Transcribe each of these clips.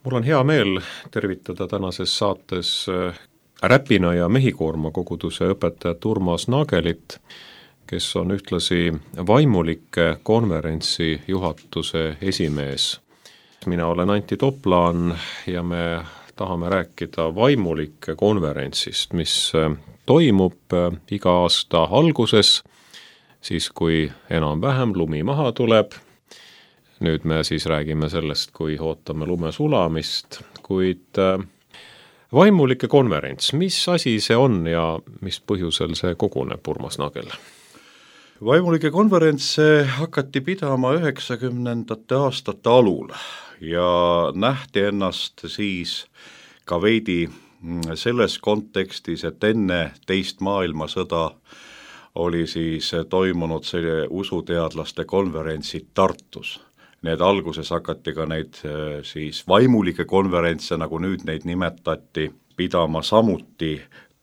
Mul on hea meel tervitada tänases saates Räpina ja Mehikoorma koguduse õpetajat Urmas Naagelit, kes on ühtlasi vaimulike konverentsi juhatuse esimees. Mina olen Antti Toplaan ja me tahame rääkida vaimulike konverentsist, mis toimub iga aasta alguses, siis kui enam-vähem lumi maha tuleb. Nüüd me siis räägime sellest, kui ootame lume sulamist, kuid vaimulike konverents, mis asi see on ja mis põhjusel see koguneb, Urmas Naagel? Vaimulike konverents hakati pidama 90. aastate alul ja nähti ennast siis ka veidi selles kontekstis, et enne teist maailmasõda oli siis toimunud selle usuteadlaste konverentsid Tartus. Need alguses hakati ka neid siis vaimulike konverentse, nagu nüüd neid nimetati, pidama samuti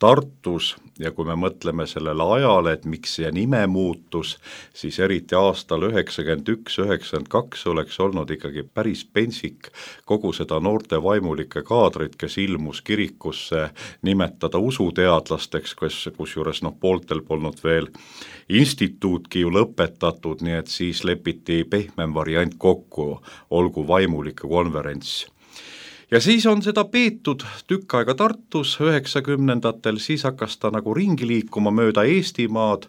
Tartus ja kui me mõtleme sellele ajale, et miks see nime muutus, siis eriti aastal 91-92 oleks olnud ikkagi päris pensik kogu seda noorte vaimulike kaadrit, kes ilmus kirikusse nimetada usuteadlasteks, kusjuures pooltel polnud veel instituutki ju lõpetatud, nii et siis lepiti pehmem variant kokku, olgu vaimulike konverents. Ja siis on seda peetud tükk aega Tartus 90-ndatel, siis hakkas ta nagu ringi liikuma mööda Eestimaad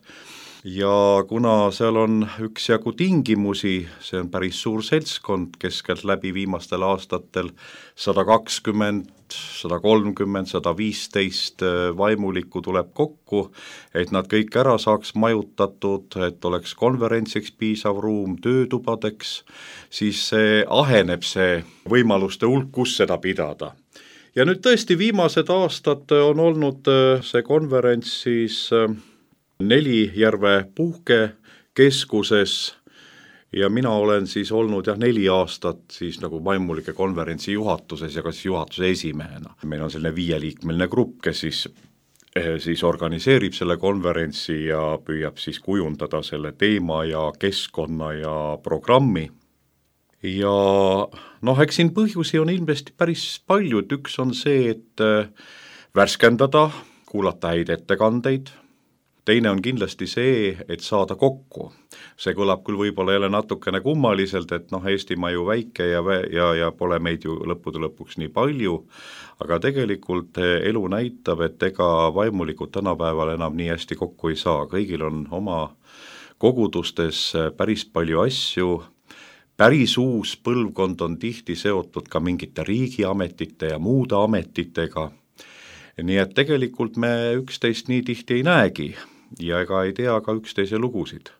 ja kuna seal on üksjagu tingimusi, see on päris suur seltskond, keskelt läbi viimastel aastatel 120, 130, 115 vaimulikku tuleb kokku, et nad kõik ära saaks majutatud, et oleks konverentsiks piisav ruum, töötubadeks, siis aheneb see võimaluste hulk, kus seda pidada. Ja nüüd tõesti viimased aastad on olnud see konverents siis Nelijärve puhkekeskuses ja mina olen siis olnud 4 aastat siis nagu vaimulike konverentsi juhatuses ja ka siis juhatuse esimehena. Meil on selline 5-liikmeline grupp, kes siis organiseerib selle konverentsi ja püüab siis kujundada selle teema ja keskkonna ja programmi. Ja eks siin põhjusi on ilmselt päris palju, et üks on see, et värskendada, kuulata häid ettekandeid. Teine on kindlasti see, et saada kokku. See kõlab küll võib-olla jälle natukene kummaliselt, et Eestimaa ju väike ja pole meid ju lõppude lõpuks nii palju, aga tegelikult elu näitab, et ega vaimulikud tänapäeval enam nii hästi kokku ei saa. Kõigil on oma kogudustes päris palju asju, päris uus põlvkond on tihti seotud ka mingite riigiametite ja muude ametitega, nii et tegelikult me üksteist nii tihti ei näegi ja ega ei tea ka üksteise lugusid.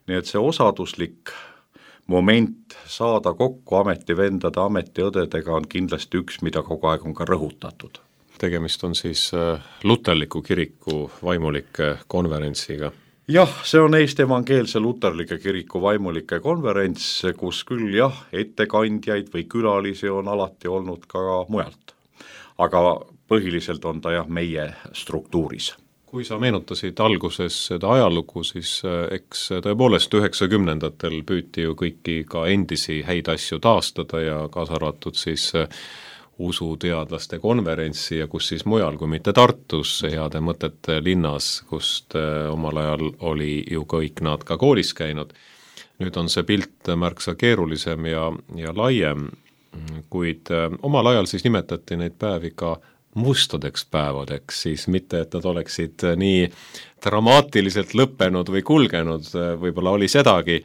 Nii et see osaduslik moment saada kokku ametivendade, ametiõdedega on kindlasti üks, mida kogu aeg on ka rõhutatud. Tegemist on siis luterliku kiriku vaimulike konverentsiga. Jah, see on Eesti Evangeelse Luterlike Kiriku vaimulike konverents, kus küll ettekandjaid või külalisi on alati olnud ka mujalt. Aga põhiliselt on ta meie struktuuris. Kui sa meenutasid alguses seda ajalugu, siis eks tõepoolest 90-ndatel püüti ju kõiki ka endisi häid asju taastada ja kaasa arvatud siis usuteadlaste konverentsi ja kus siis mujal kui mitte Tartus, heade mõtete linnas, kust omal ajal oli ju kõik nad ka koolis käinud. Nüüd on see pilt märksa keerulisem ja laiem, kuid omal ajal siis nimetati neid päevi ka mustadeks päevadeks, siis mitte, et nad oleksid nii dramaatiliselt lõppenud või kulgenud, võib-olla oli sedagi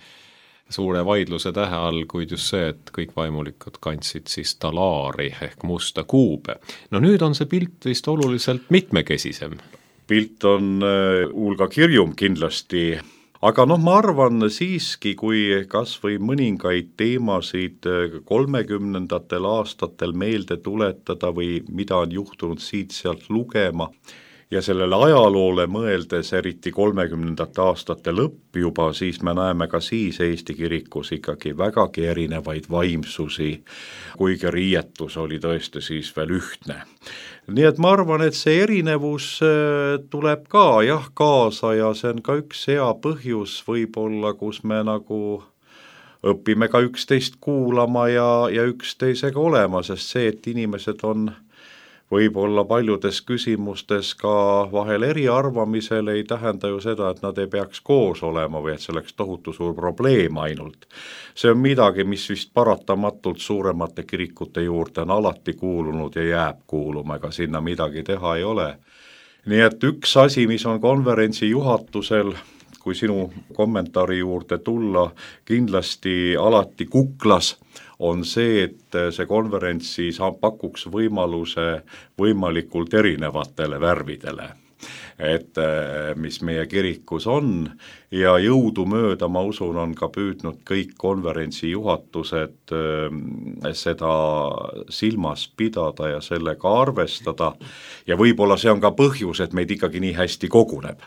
suure vaidluse tähe all, kuid just see, et kõik vaimulikud kandsid siis talaari ehk musta kuube. Nüüd on see pilt vist oluliselt mitmekesisem. Pilt on hulga kirjum kindlasti, aga ma arvan siiski, kui kas või mõningaid teemasid 30-ndatel aastatel meelde tuletada või mida on juhtunud siit-sealt lugema ja sellele ajaloole mõeldes, eriti 30-ndate aastate lõpp juba, siis me näeme ka siis Eesti kirikus ikkagi vägagi erinevaid vaimsusi, kuigi riietus oli tõesti siis veel ühtne. Nii et ma arvan, et see erinevus tuleb ka kaasa ja see on ka üks hea põhjus võib-olla, kus me nagu õpime ka üksteist kuulama ja üksteisega olema, sest see, et inimesed on võib-olla paljudes küsimustes ka vahel eriarvamisel, ei tähenda ju seda, et nad ei peaks koos olema või et see oleks tohutu suur probleem ainult. See on midagi, mis vist paratamatult suuremate kirikute juurde on alati kuulunud ja jääb kuuluma, ega sinna midagi teha ei ole. Nii et üks asi, mis on konverentsi juhatusel, kui sinu kommentaari juurde tulla, kindlasti alati kuklas, on see, et see konverents siis pakuks võimaluse võimalikult erinevatele värvidele, et mis meie kirikus on ja jõudumööda, ma usun, on ka püüdnud kõik konverentsi juhatused seda silmas pidada ja sellega arvestada ja võib-olla see on ka põhjus, et meid ikkagi nii hästi koguneb.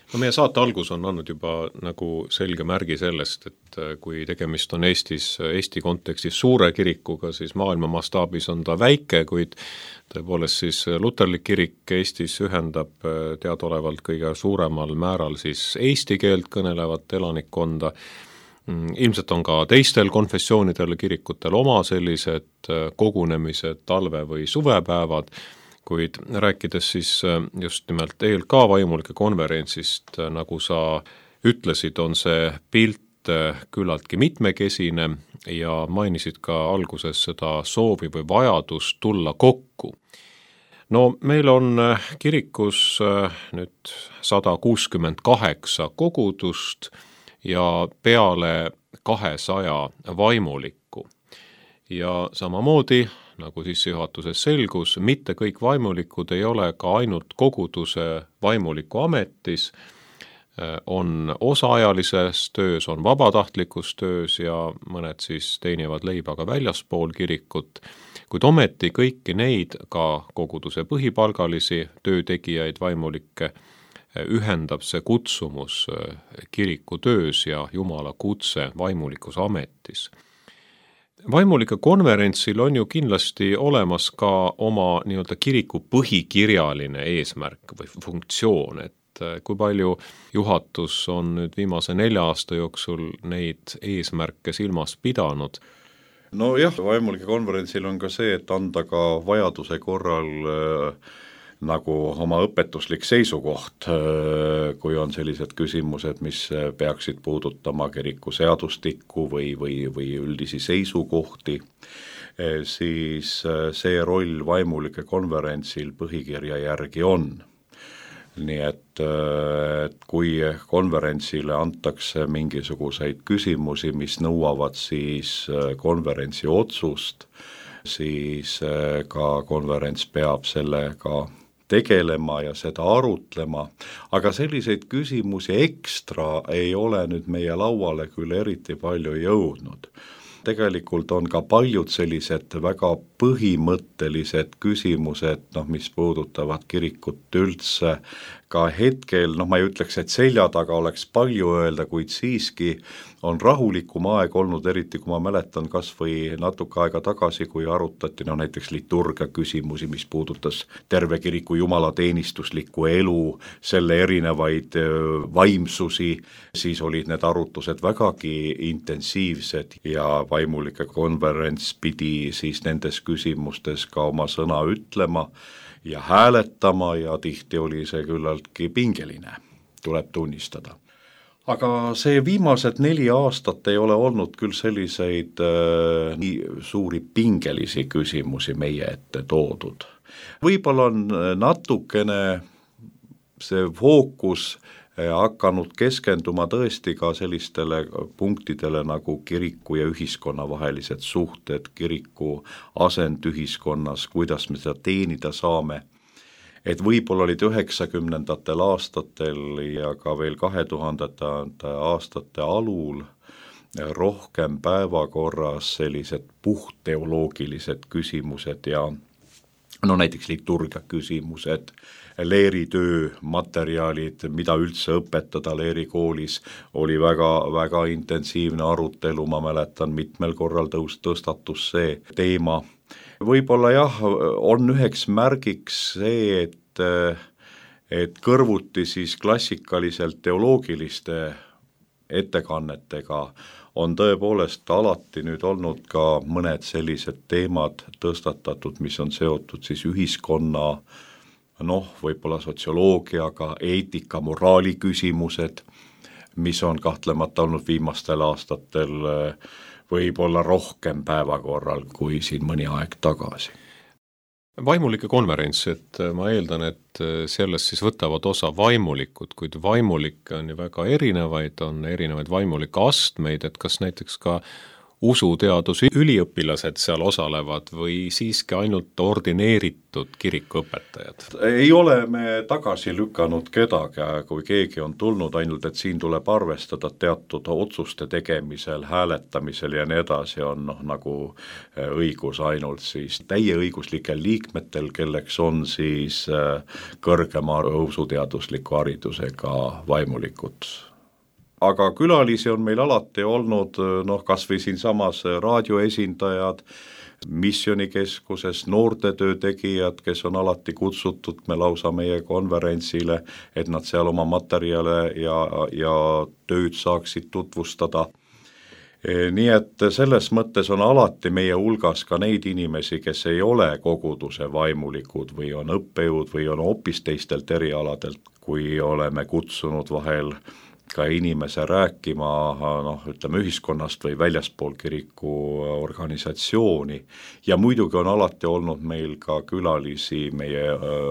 No meie saate algus on andnud juba nagu selge märgi sellest, et kui tegemist on Eesti kontekstis suure kirikuga, siis maailma mastaabis on ta väike, kuid tõepoolest siis luterlik kirik Eestis ühendab teadaolevalt kõige suuremal määral siis eesti keelt kõnelevat elanikkonda. Ilmselt on ka teistel konfessioonidel kirikutel oma sellised kogunemised, talve- või suvepäevad, kuid rääkides siis just nimelt ELK vaimulike konverentsist, nagu sa ütlesid, on see pilt küllaltki mitmekesine ja mainisid ka alguses seda soovi või vajadust tulla kokku. No meil on kirikus nüüd 168 kogudust ja peale 200 vaimulikku ja samamoodi nagu sissejuhatuses selgus, mitte kõik vaimulikud ei ole ka ainult koguduse vaimuliku ametis, on osaajalises töös, on vabatahtlikus töös ja mõned siis teenivad leiba ka väljaspool kirikut, kuid ometi kõiki neid, ka koguduse põhipalgalisi töötegijaid, vaimulikke, ühendab see kutsumus kiriku töös ja Jumala kutse vaimulikus ametis. Vaimulike konverentsil on ju kindlasti olemas ka oma nii-öelda kiriku põhikirjaline eesmärk või funktsioon, et kui palju juhatus on nüüd viimase 4 aasta jooksul neid eesmärke silmas pidanud? No jah, vaimulike konverentsil on ka see, et anda ka vajaduse korral nagu oma õpetuslik seisukoht, kui on sellised küsimused, mis peaksid puudutama kiriku seadustikku või üldisi seisukohti, siis see roll vaimulike konverentsil põhikirja järgi on. Nii et kui konverentsile antakse mingisuguseid küsimusi, mis nõuavad siis konverentsi otsust, siis ka konverents peab sellega tegelema ja seda arutlema, aga selliseid küsimusi ekstra ei ole nüüd meie lauale küll eriti palju jõudnud. Tegelikult on ka paljud sellised väga põhimõttelised küsimused, mis puudutavad kirikut üldse, ka hetkel, ma ei ütleks, et selja taga oleks palju öelda, kuid siiski on rahulikum aeg olnud, eriti kui ma mäletan kas või natuke aega tagasi, kui arutati näiteks liturgia küsimusi, mis puudutas terve kiriku jumalateenistuslikku elu, selle erinevaid vaimsusi, siis olid need arutlused vägagi intensiivsed ja vaimulike konverents pidi siis nendes küsimustes ka oma sõna ütlema ja hääletama ja tihti oli see küllaltki pingeline, tuleb tunnistada. Aga see viimased 4 aastat ei ole olnud küll selliseid nii suuri pingelisi küsimusi meie ette toodud. Võib-olla on natukene see fookus hakanud keskenduma tõesti ka sellistele punktidele nagu kiriku ja ühiskonna vahelised suhted, kiriku asend ühiskonnas, kuidas me seda teenida saame. Et võib-olla olid 90ndatel aastatel ja ka veel 2000. aastate alul rohkem päevakorras sellised puhtteoloogilised küsimused ja näiteks liturgia küsimused, leeritöö materjalid, mida üldse õpetada leerikoolis, oli väga intensiivne arutelu, ma mäletan, mitmel korral tõstatus see teema. Võib-olla jah, on üheks märgiks see, et kõrvuti siis klassikaliselt teoloogiliste ettekannetega on tõepoolest alati nüüd olnud ka mõned sellised teemad tõstatatud, mis on seotud siis ühiskonna, võib-olla sotsioloogiaga, eetika, moraali küsimused, mis on kahtlemata olnud viimastel aastatel võib-olla rohkem päevakorral kui siin mõni aeg tagasi. Vaimulike konverents, et ma eeldan, et sellest siis võtavad osa vaimulikud, kuid vaimulikke on ju väga erinevaid, on erinevaid vaimulike astmeid, et kas näiteks ka usuteaduse üliõpilased seal osalevad või siiski ainult ordineeritud kirikuõpetajad? Ei ole me tagasi lükanud kedagi, kui keegi on tulnud, ainult et siin tuleb arvestada teatud otsuste tegemisel, hääletamisel ja nii edasi on nagu õigus ainult siis täieõiguslikel liikmetel, kelleks on siis kõrgema usuteadusliku haridusega vaimulikud. Aga külalisi on meil alati olnud, kas või siinsamas raadioesindajad, missionikeskuses noortetöö tegijad, kes on alati kutsutud me lausa meie konverentsile, et nad seal oma materjale ja tööd saaksid tutvustada. Nii et selles mõttes on alati meie hulgas ka neid inimesi, kes ei ole koguduse vaimulikud või on õppejõud või on hoopis teistelt erialadelt, kui oleme kutsunud vahel ka inimese rääkima ühiskonnast või väljaspool kiriku organisatsiooni ja muidugi on alati olnud meil ka külalisi meie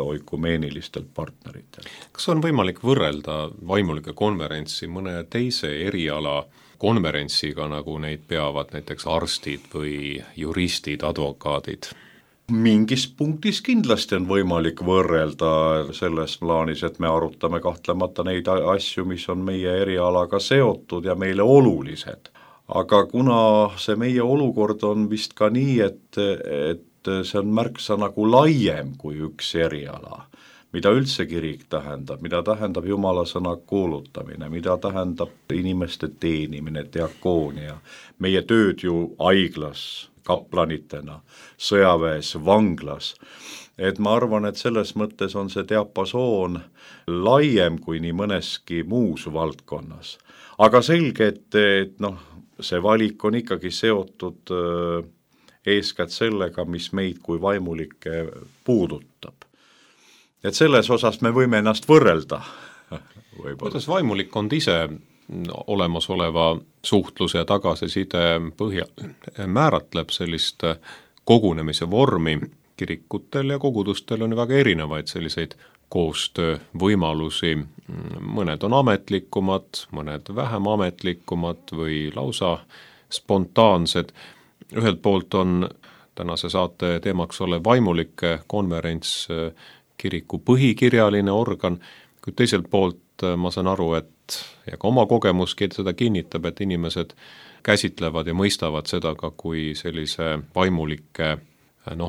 oikumeenilistelt partneritel. Kas on võimalik võrrelda vaimulike konverentsi mõne teise eriala konverentsiga, nagu neid peavad näiteks arstid või juristid, advokaadid? Mingis punktis kindlasti on võimalik võrrelda selles plaanis, et me arutame kahtlemata neid asju, mis on meie erialaga seotud ja meile olulised. Aga kuna see meie olukord on vist ka nii, et see on märksa nagu laiem kui üks eriala, mida üldse kirik tähendab, mida tähendab Jumala sõna kuulutamine, mida tähendab inimeste teenimine, diakoonia, meie tööd ju haiglas, kaplanitena, sõjaväes, vanglas, et ma arvan, et selles mõttes on see diapasoon laiem kui nii mõneski muus valdkonnas. Aga selge, et see valik on ikkagi seotud eeskätt sellega, mis meid kui vaimulikke puudutab. Et selles osas me võime ennast võrrelda. Kuidas vaimulikkond ise olemasoleva suhtluse ja tagasiside põhjal määratleb sellist kogunemise vormi? Kirikutel ja kogudustel on väga erinevaid selliseid koostöövõimalusi, mõned on ametlikumad, mõned vähem ametlikumad või lausa spontaansed. Ühelt poolt on tänase saate teemaks olev vaimulike konverents kiriku põhikirjaline organ, kuid teiselt poolt ma saan aru, et ja ka oma kogemuski seda kinnitab, et inimesed käsitlevad ja mõistavad seda ka kui sellise vaimulike,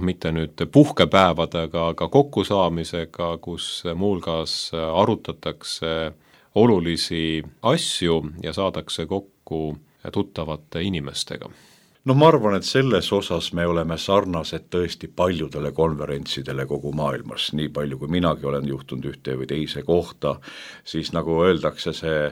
mitte nüüd puhkepäevadega, aga kokkusaamisega, kus muuhulgas arutatakse olulisi asju ja saadakse kokku tuttavate inimestega. Ma arvan, et selles osas me oleme sarnased tõesti paljudele konverentsidele kogu maailmas, nii palju kui minagi olen juhtunud ühte või teise kohta, siis nagu öeldakse, see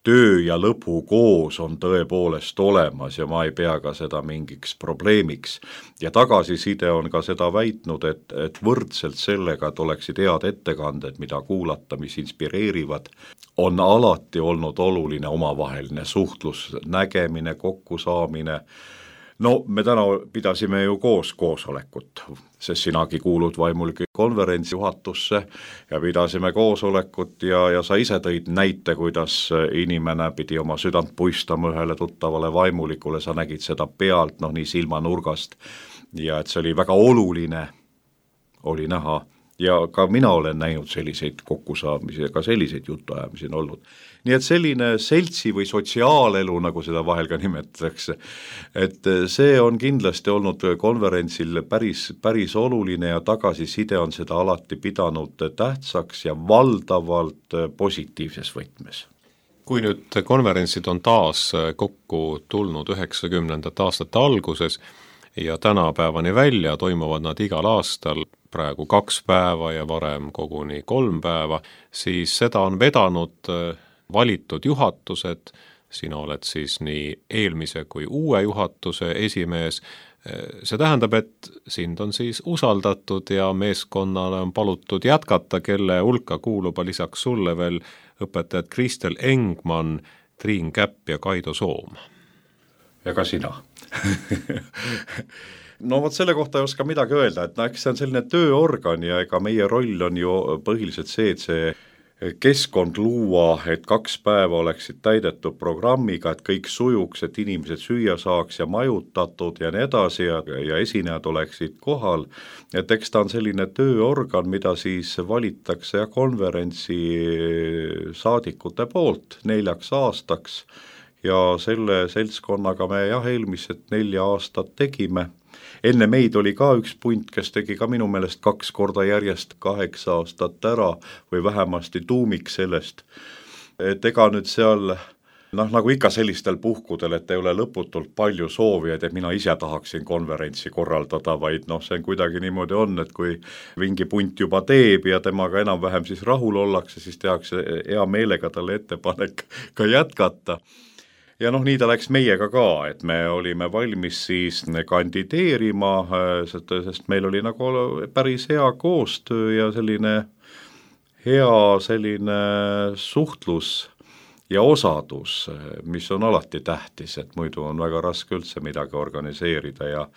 töö ja lõbu koos on tõepoolest olemas ja ma ei pea ka seda mingiks probleemiks. Ja tagasiside on ka seda väitnud, et võrdselt sellega, et oleksid head ettekanded, mida kuulata, mis inspireerivad, on alati olnud oluline omavaheline suhtlus, nägemine, kokkusaamine. Me täna pidasime ju koos koosolekut, sest sinagi kuulud vaimulike konverentsi juhatusse ja pidasime koosolekut ja sa ise tõid näite, kuidas inimene pidi oma südant puistama ühele tuttavale vaimulikule, sa nägid seda pealt, nii silmanurgast ja et see oli väga oluline, oli näha. Ja ka mina olen näinud selliseid kokkusaamisi ja ka selliseid jutuajamisi on olnud. Nii et selline seltsi või sotsiaalelu, nagu seda vahel ka nimetatakse, et see on kindlasti olnud konverentsil päris oluline ja tagasiside on seda alati pidanud tähtsaks ja valdavalt positiivses võtmes. Kui nüüd konverentsid on taas kokku tulnud 90. aastate alguses ja tänapäevani välja toimuvad nad igal aastal, praegu 2 päeva ja varem koguni 3 päeva, siis seda on vedanud valitud juhatused, sina oled siis nii eelmise kui uue juhatuse esimees. See tähendab, et sind on siis usaldatud ja meeskonnale on palutud jätkata, kelle hulka kuuluba lisaks sulle veel õpetajad Kristel Engman, Triin Käpp ja Kaido Soom. Ja ka sina. No vot selle kohta ei oska midagi öelda, et eks see on selline tööorgan ja ega meie roll on ju põhiliselt see, et see keskkond luua, et 2 päeva oleksid täidetud programmiga, et kõik sujuks, et inimesed süüa saaks ja majutatud ja nii edasi ja esinejad oleksid kohal, et eks ta on selline tööorgan, mida siis valitakse konverentsi saadikute poolt 4 aastaks ja selle seltskonnaga me eelmised 4 aastat tegime. Enne meid oli ka üks punt, kes tegi ka minu meelest 2 korda järjest 8 aastat ära või vähemasti tuumik sellest, et ega nüüd seal nagu ikka sellistel puhkudel, et ei ole lõputult palju soovijaid, et mina ise tahaksin konverentsi korraldada, vaid see on kuidagi niimoodi on, et kui mingi punt juba teeb ja temaga enam-vähem siis rahul ollakse, siis tehakse hea meelega talle ettepanek ka jätkata. Ja nii ta läks meiega ka, et me olime valmis siis kandideerima, sest meil oli nagu päris hea koostöö ja selline suhtlus ja osadus, mis on alati tähtis, et muidu on väga raske üldse midagi organiseerida ja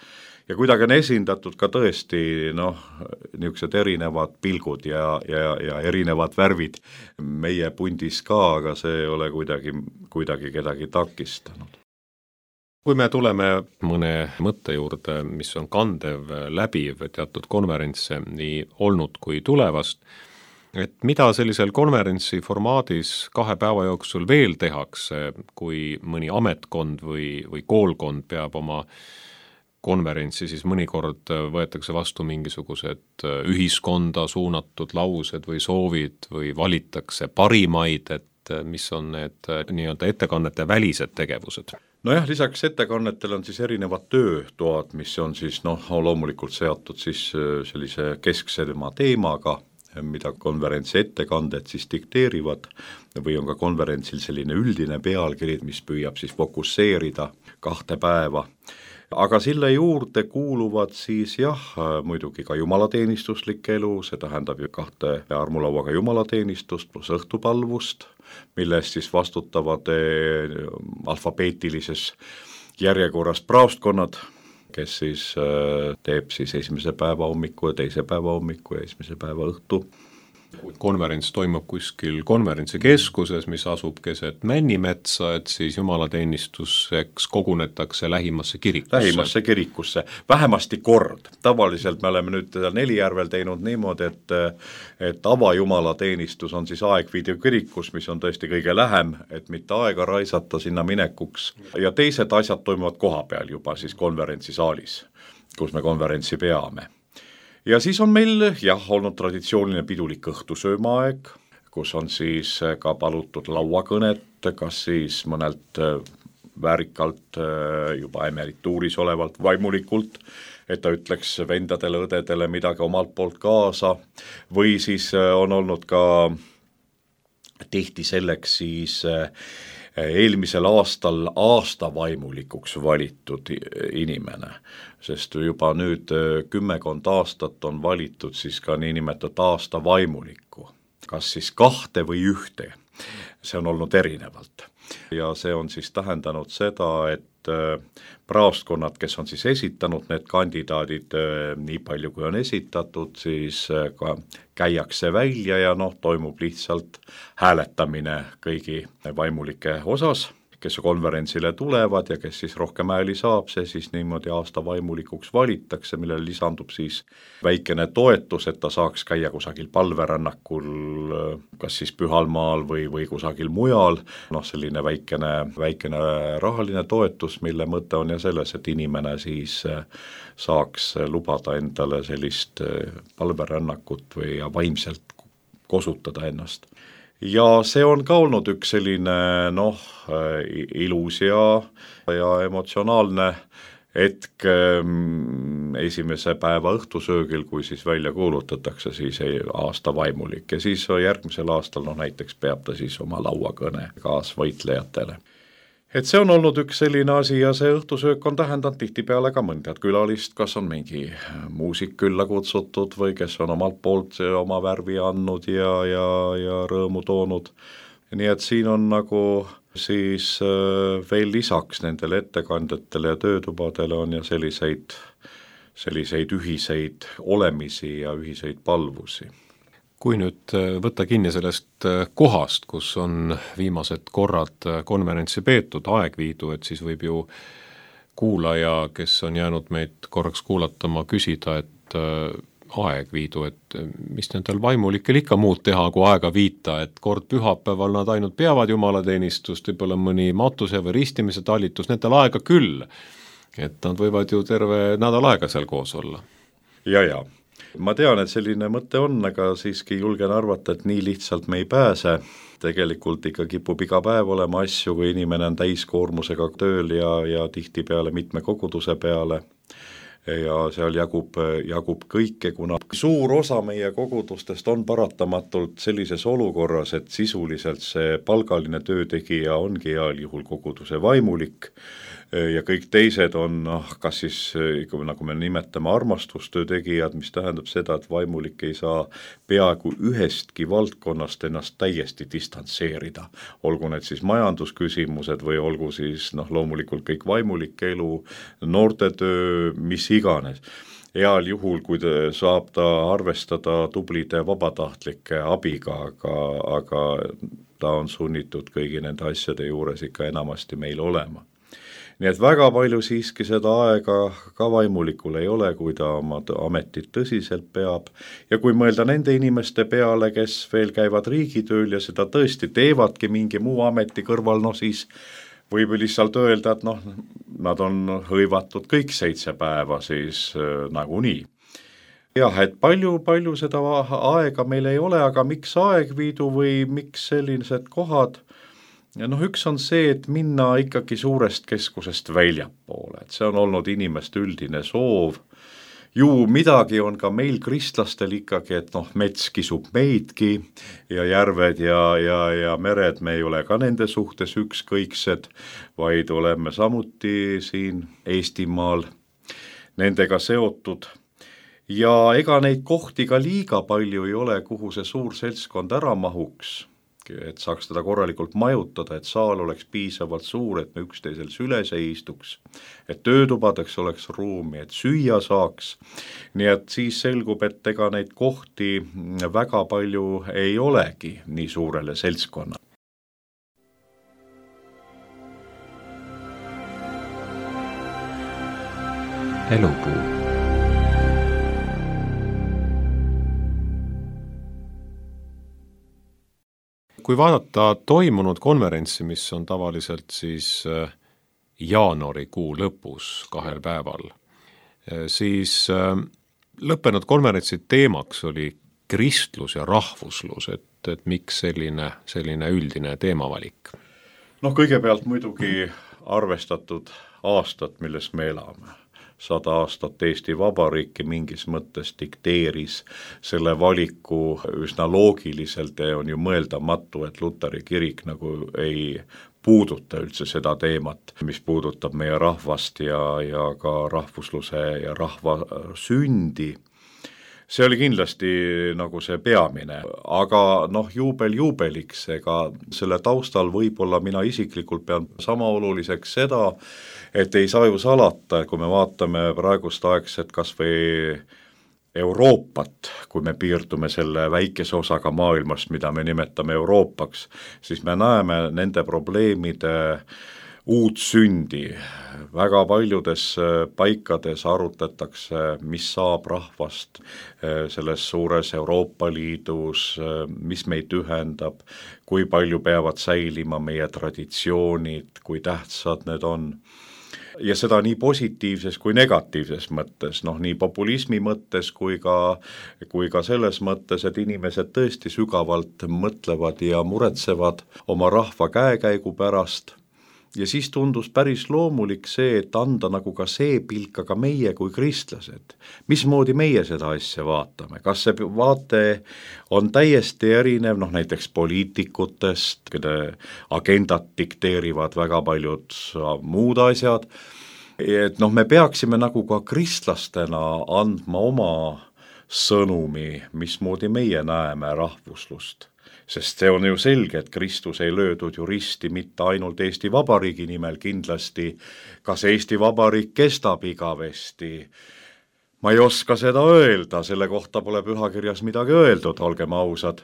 kuidagi on esindatud ka tõesti niisugused erinevad pilgud ja erinevad värvid meie pundis ka, aga see ei ole kuidagi kedagi takistanud. Kui me tuleme mõne mõtte juurde, mis on kandev, läbiv teatud konverentse nii olnud kui tulevast, et mida sellisel konverentsi formaadis 2 päeva jooksul veel tehakse, kui mõni ametkond või koolkond peab oma konverentsi, siis mõnikord võetakse vastu mingisugused ühiskonda suunatud laused või soovid või valitakse parimaid, et mis on need nii-öelda ettekannete välised tegevused? Nojah, lisaks ettekannetele on siis erinevad töötoad, mis on siis loomulikult seotud siis sellise kesksema teemaga, mida konverentsi ettekanded siis dikteerivad või on ka konverentsil selline üldine pealkiri, mis püüab siis fokusseerida 2 päeva. Aga sille juurde kuuluvad siis muidugi ka jumalateenistuslik elu, see tähendab ju 2 armulauaga jumalateenistust pluss õhtupalvust, millest siis vastutavad alfabeetilises järjekorras praostkonnad, kes siis teeb siis 1. päeva hommiku ja 2. päeva hommiku ja 1. päeva õhtu. Konverents toimub kuskil konverentsikeskuses, mis asub keset Männimetsa, et siis jumalateenistuseks kogunetakse lähimasse kirikusse. Vähemasti kord. Tavaliselt me oleme nüüd Nelijärvel teinud niimoodi, et avajumalateenistus on siis Aegviidu kirikus, mis on tõesti kõige lähem, et mitte aega raisata sinna minekuks. Ja teised asjad toimuvad kohapeal juba siis konverentsisaalis, kus me konverentsi peame. Ja siis on meil olnud traditsiooniline pidulik õhtusöömaaeg, kus on siis ka palutud lauakõnet, kas siis mõnelt väärikalt juba emerituuris olevalt vaimulikult, et ta ütleks vendadele, õdedele midagi omalt poolt kaasa, või siis on olnud ka tihti selleks siis eelmisel aastal aastavaimulikuks valitud inimene, sest juba nüüd 10 aastat on valitud siis ka niinimetatud aastavaimulikku, kas siis 2 või 1, see on olnud erinevalt. Ja see on siis tähendanud seda, et praostkonnad, kes on siis esitanud need kandidaadid nii palju, kui on esitatud, siis ka käiakse välja ja toimub lihtsalt hääletamine kõigi vaimulike osas, kes konverentsile tulevad ja kes siis rohkem hääli saab, see siis niimoodi aasta vaimulikuks valittakse, millele lisandub siis väikene toetus, et ta saaks käia kusagil palverännakul, kas siis Pühalmaal või kusagil mujal, selline väikene rahaline toetus, mille mõte on ja selles, et inimene siis saaks lubada endale sellist palverännakut või vaimselt kosutada ennast. Ja see on ka olnud üks selline ilus ja emotsionaalne hetk esimese päeva õhtusöögil, kui siis välja kuulutatakse siis aasta vaimulik ja siis järgmisel aastal näiteks peab ta siis oma lauakõne kaasvõitlejatele. et see on olnud üks selline asi ja see õhtusöök on tähendanud tihtipeale ka mõnda külalist, kas on mingi muusik külla kutsutud või kes on omalt poolt oma värvi andnud ja rõõmu toonud. Nii et siin on nagu siis veel lisaks nendele ettekandjatele ja töötubadele on ja selliseid ühiseid olemisi ja ühiseid palvusi. Kui nüüd võtta kinni sellest kohast, kus on viimased korrad konverentsi peetud, Aegviidu, et siis võib ju kuulaja, kes on jäänud meid korraks kuulatama, küsida, et Aegviidu, et mis nendel vaimulikel ikka muud teha, kui aega viita, et kord pühapäeval nad ainult peavad jumalateenistust, võib-olla mõni matuse või ristimise talitus, nendel aega küll, et nad võivad ju terve nädal aega seal koos olla. Ja. Ma tean, et selline mõte on, aga siiski julgen arvata, et nii lihtsalt me ei pääse. Tegelikult ikka kipub iga päev olema asju, kui inimene on täiskoormusega tööl ja tihtipeale mitme koguduse peale. Ja seal jagub kõike, kuna suur osa meie kogudustest on paratamatult sellises olukorras, et sisuliselt see palgaline töötegija ongi heal juhul koguduse vaimulik ja kõik teised on kas siis, nagu me nimetame, armastustöö tegijad, mis tähendab seda, et vaimulik ei saa peaaegu ühestki valdkonnast ennast täiesti distantseerida. Olgu need siis majandusküsimused või olgu siis loomulikult kõik vaimulik elu, noortetöö, mis iganes. Heal juhul, kui saab ta arvestada tublide vabatahtlike abiga, aga ta on sunnitud kõigi nende asjade juures ikka enamasti meil olema. Nii et väga palju siiski seda aega ka vaimulikul ei ole, kui ta oma ametit tõsiselt peab. Ja kui mõelda nende inimeste peale, kes veel käivad riigitööl ja seda tõesti teevadki mingi muu ameti kõrval, siis võib lihtsalt öelda, et nad on hõivatud kõik 7 päeva siis nagunii. Jah, et palju seda aega meil ei ole, aga miks Aegviidu või miks sellised kohad? Ja üks on see, et minna ikkagi suurest keskusest väljapoole, et see on olnud inimeste üldine soov. Ju midagi on ka meil kristlastel ikkagi, et mets kisub meidki ja järved ja mered, me ei ole ka nende suhtes ükskõiksed, vaid oleme samuti siin Eestimaal nendega seotud. Ja ega neid kohti ka liiga palju ei ole, kuhu see suur seltskond ära mahuks, et saaks teda korralikult majutada, et saal oleks piisavalt suur, et me üksteisel süles ei istuks, et töötubadeks oleks ruumi, et süüa saaks. Nii et siis selgub, et ega neid kohti väga palju ei olegi nii suurele seltskonna. Elupuu. Kui vaadata toimunud konverentsi, mis on tavaliselt siis jaanuarikuu lõpus 2 päeval, siis lõppenud konverentsi teemaks oli kristlus ja rahvuslus, et miks selline üldine teemavalik? Kõigepealt muidugi arvestatud aastat, milles me elame. 100 aastat Eesti Vabariiki mingis mõttes dikteeris selle valiku üsna loogiliselt ja on ju mõeldamatu, et Luteri kirik nagu ei puuduta üldse seda teemat, mis puudutab meie rahvast ja ka rahvusluse ja rahva sündi. See oli kindlasti nagu see peamine, aga juubel juubeliks, ega selle taustal võib-olla mina isiklikult pean sama oluliseks seda, et ei saa ju salata, et kui me vaatame praegust aegset kas või Euroopat, kui me piirdume selle väikese osaga maailmast, mida me nimetame Euroopaks, siis me näeme nende probleemide uut sündi. Väga paljudes paikades arutatakse, mis saab rahvast selles suures Euroopa Liidus, mis meid ühendab, kui palju peavad säilima meie traditsioonid, kui tähtsad need on. Ja seda nii positiivses kui negatiivses mõttes, nii populismi mõttes kui ka selles mõttes, et inimesed tõesti sügavalt mõtlevad ja muretsevad oma rahva käekäigu pärast. ja siis tundus päris loomulik see, et anda nagu ka see pilk, aga meie kui kristlased, mismoodi meie seda asja vaatame, kas see vaate on täiesti erinev, noh näiteks poliitikutest, kelle agendat dikteerivad väga paljud muud asjad, et noh, me peaksime nagu ka kristlastena andma oma sõnumi, mismoodi meie näeme rahvuslust. Sest see on ju selge, et Kristus ei löödud ju risti mitte ainult Eesti Vabariigi nimel, kindlasti kas Eesti Vabariik kestab igavesti. Ma ei oska seda öelda, selle kohta pole pühakirjas midagi öeldud, olgem ausad.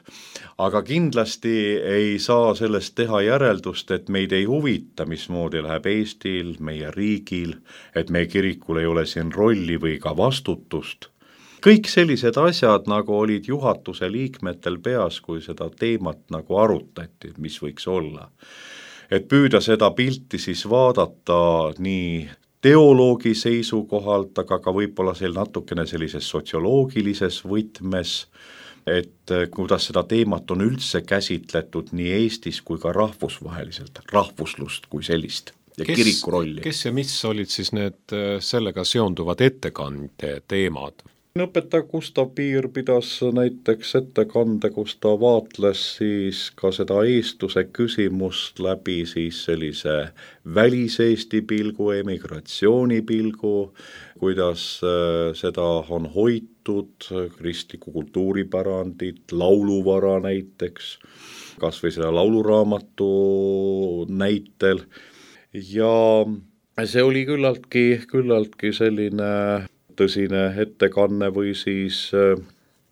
Aga kindlasti ei saa sellest teha järeldust, et meid ei huvita, mismoodi läheb Eestil, meie riigil, et meie kirikul ei ole siin rolli või ka vastutust. Kõik sellised asjad nagu olid juhatuse liikmetel peas, kui seda teemat nagu arutati, mis võiks olla. Et püüda seda pilti siis vaadata nii teoloogi seisukohalt, aga ka võib-olla natukene sellises sotsioloogilises võtmes, et kuidas seda teemat on üldse käsitletud nii Eestis kui ka rahvusvaheliselt, rahvuslust kui sellist ja kiriku rolli. Kes ja mis olid siis need sellega seonduvad ettekande teemad? Õpetaja Gustav Piir pidas näiteks ettekande, kus ta vaatles siis ka seda eestluse küsimust läbi siis sellise väliseesti pilgu, emigratsiooni pilgu, kuidas seda on hoitud, kristliku kultuuripärandit, lauluvara näiteks, kas või seda lauluraamatu näitel ja see oli küllaltki selline tõsine ettekanne või siis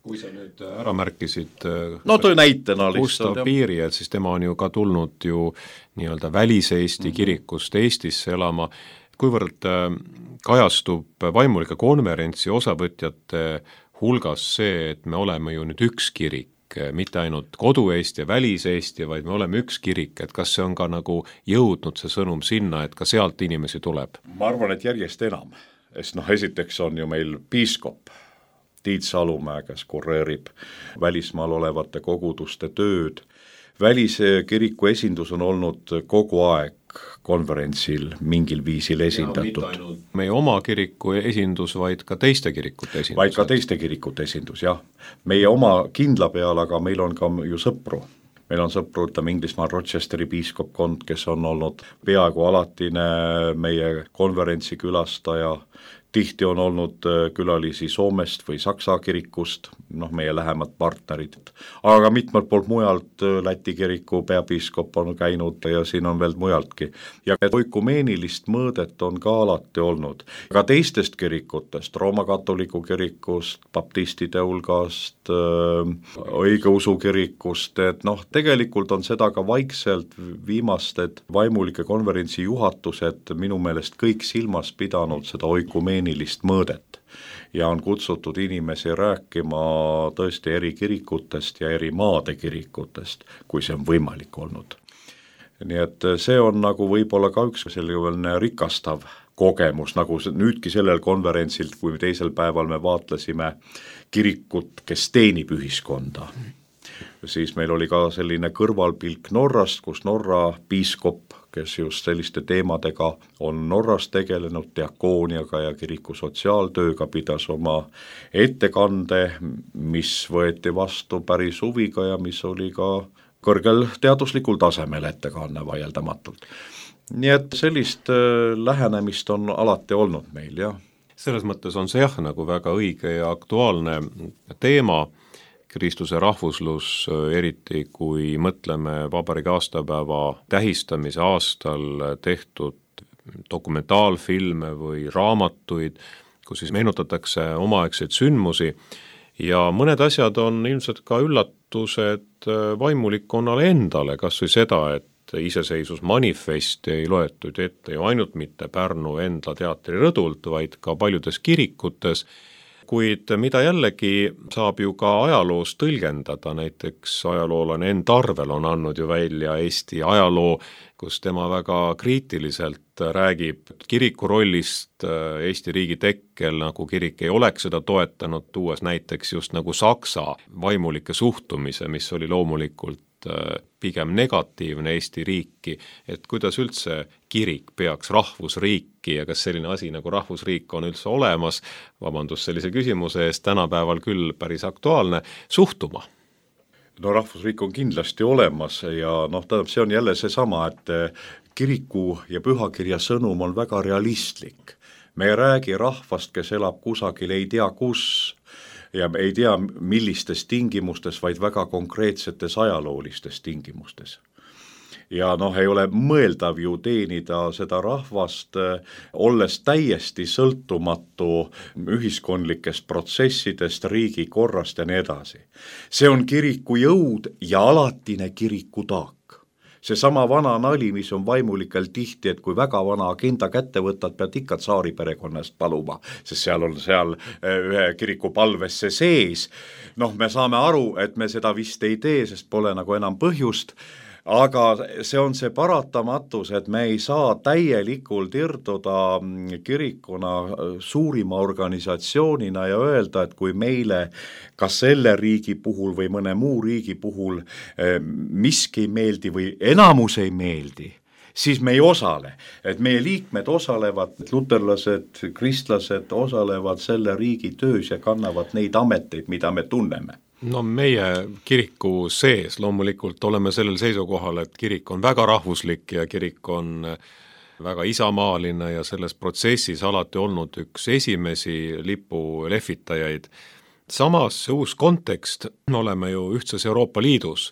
kui sa nüüd ära märkisid no tõi näitena Gustav Piiri, et siis tema on ju ka tulnud ju nii-öelda väliseesti kirikust Eestisse elama, kuivõrd kajastub vaimulike konverentsi osavõtjate hulgas see, et me oleme ju nüüd üks kirik, mitte ainult kodu-Eesti ja väliseesti, vaid me oleme üks kirik, et kas see on ka nagu jõudnud see sõnum sinna, et ka sealt inimesi tuleb? Ma arvan, et järjest enam. Sest esiteks on ju meil piiskop Tiit Salumäe, kes kureerib välismaal olevate koguduste tööd. Väliskiriku esindus on olnud kogu aeg konverentsil mingil viisil esindatud. Mitte ainult meie oma kiriku esindus, vaid ka teiste kirikute esindus. Vaid ka teiste kirikute esindus, jah. Meie oma kindla peal, aga meil on ka ju sõpru. Meil on sõpru, Inglismaal Rochesteri piiskopkond, kes on olnud peaaegu alatine meie konverentsi külastaja, tihti on olnud külalisi Soomest või Saksa kirikust, meie lähemad partnerid, aga mitmelt poolt mujalt Läti kiriku peapiiskop on käinud ja siin on veel mujaltki. Ja oikumeenilist mõõdet on ka alati olnud. Ka teistest kirikutest, Rooma katoliku kirikust, baptistide hulgast, õigeusu kirikust, et tegelikult on seda ka vaikselt viimased vaimulike konverentsi juhatused minu meelest kõik silmas pidanud seda oikumeenilist mõõdet ja on kutsutud inimesi rääkima tõesti eri kirikutest ja eri maade kirikutest, kui see on võimalik olnud. Nii et see on nagu võib-olla ka üks selline rikastav kogemus, nagu nüüdki sellel konverentsil, kui teisel päeval me vaatlesime kirikut, kes teenib ühiskonda. Siis meil oli ka selline kõrvalpilk Norrast, kus Norra piiskop, kes just selliste teemadega on Norras tegelenud diakooniaga ja kiriku sotsiaaltööga, pidas oma ettekande, mis võeti vastu päris huviga ja mis oli ka kõrgel teaduslikul tasemel ettekanne vaieldamatult. Nii et sellist lähenemist on alati olnud meil, jah. Selles mõttes on see nagu väga õige ja aktuaalne teema, Kristuse rahvuslus, eriti kui mõtleme vabariigi aastapäeva tähistamise aastal tehtud dokumentaalfilme või raamatuid, kus siis meenutatakse omaaegseid sündmusi ja mõned asjad on ilmselt ka üllatused vaimulikkonnale endale, kas või seda, et iseseisvusmanifesti ei loetud ette ju ainult mitte Pärnu Endla teatri rõdult, vaid ka paljudes kirikutes, kuid mida jällegi saab ju ka ajaloos tõlgendada, näiteks ajaloolane Enn Tarvel on andnud ju välja Eesti ajaloo, kus tema väga kriitiliselt räägib kiriku rollist Eesti riigi tekkel, nagu kirik ei oleks seda toetanud, tuues näiteks just nagu Saksa vaimulike suhtumise, mis oli loomulikult pigem negatiivne Eesti riiki, et kuidas üldse kirik peaks rahvusriiki ja kas selline asi nagu rahvusriik on üldse olemas, vabandust sellise küsimuse eest, tänapäeval küll päris aktuaalne, suhtuma? No rahvusriik on kindlasti olemas ja tähendab, see on jälle seesama, et kiriku ja pühakirja sõnum on väga realistlik. Me ei räägi rahvast, kes elab kusagil ei tea kus ja ei tea millistes tingimustes, vaid väga konkreetsetes ajaloolistes tingimustes. Ja ei ole mõeldav ju teenida seda rahvast, olles täiesti sõltumatu ühiskondlikest protsessidest, riigi korrast ja nii edasi. See on kiriku jõud ja alatine kiriku taak. Seesama vana nali, mis on vaimulikel tihti, et kui väga vana agenda kätte võtad, pead ikka tsaari perekonnast paluma, sest seal on ühe kiriku palvesse sees. Me saame aru, et me seda vist ei tee, sest pole nagu enam põhjust, aga see on see paratamatus, et me ei saa täielikult irduda kirikuna suurima organisatsioonina ja öelda, et kui meile kas selle riigi puhul või mõne muu riigi puhul miski ei meeldi või enamus ei meeldi, siis me ei osale. Et meie liikmed osalevad, luterlased, kristlased osalevad selle riigi töös ja kannavad neid ameteid, mida me tunneme. No meie kiriku sees loomulikult oleme sellel seisukohal, et kirik on väga rahvuslik ja kirik on väga isamaaline ja selles protsessis alati olnud üks esimesi lipu lehvitajaid. Samas uus kontekst, oleme ju ühtses Euroopa Liidus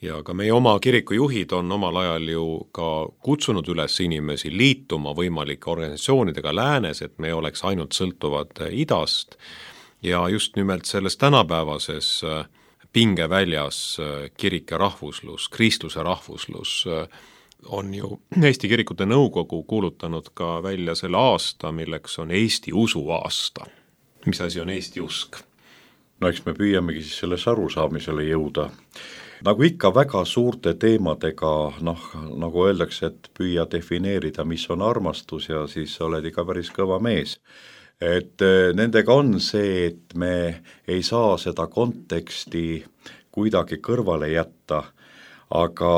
ja ka meie oma kirikujuhid on omal ajal ju ka kutsunud üles inimesi liituma võimalike organisatsioonidega läänes, et me oleks ainult sõltuvad idast. Ja just nimelt selles tänapäevases pingeväljas kirik ja rahvuslus, kristluse rahvuslus on ju Eesti Kirikute Nõukogu kuulutanud ka välja selle aasta, milleks on Eesti usu aasta. Mis asi on Eesti usk? No eks me püüamegi siis selles arusaamisele jõuda. Nagu ikka väga suurte teemadega, nagu öeldakse, et püüa defineerida, mis on armastus ja siis oled ikka päris kõva mees. Et nendega on see, et me ei saa seda konteksti kuidagi kõrvale jätta, aga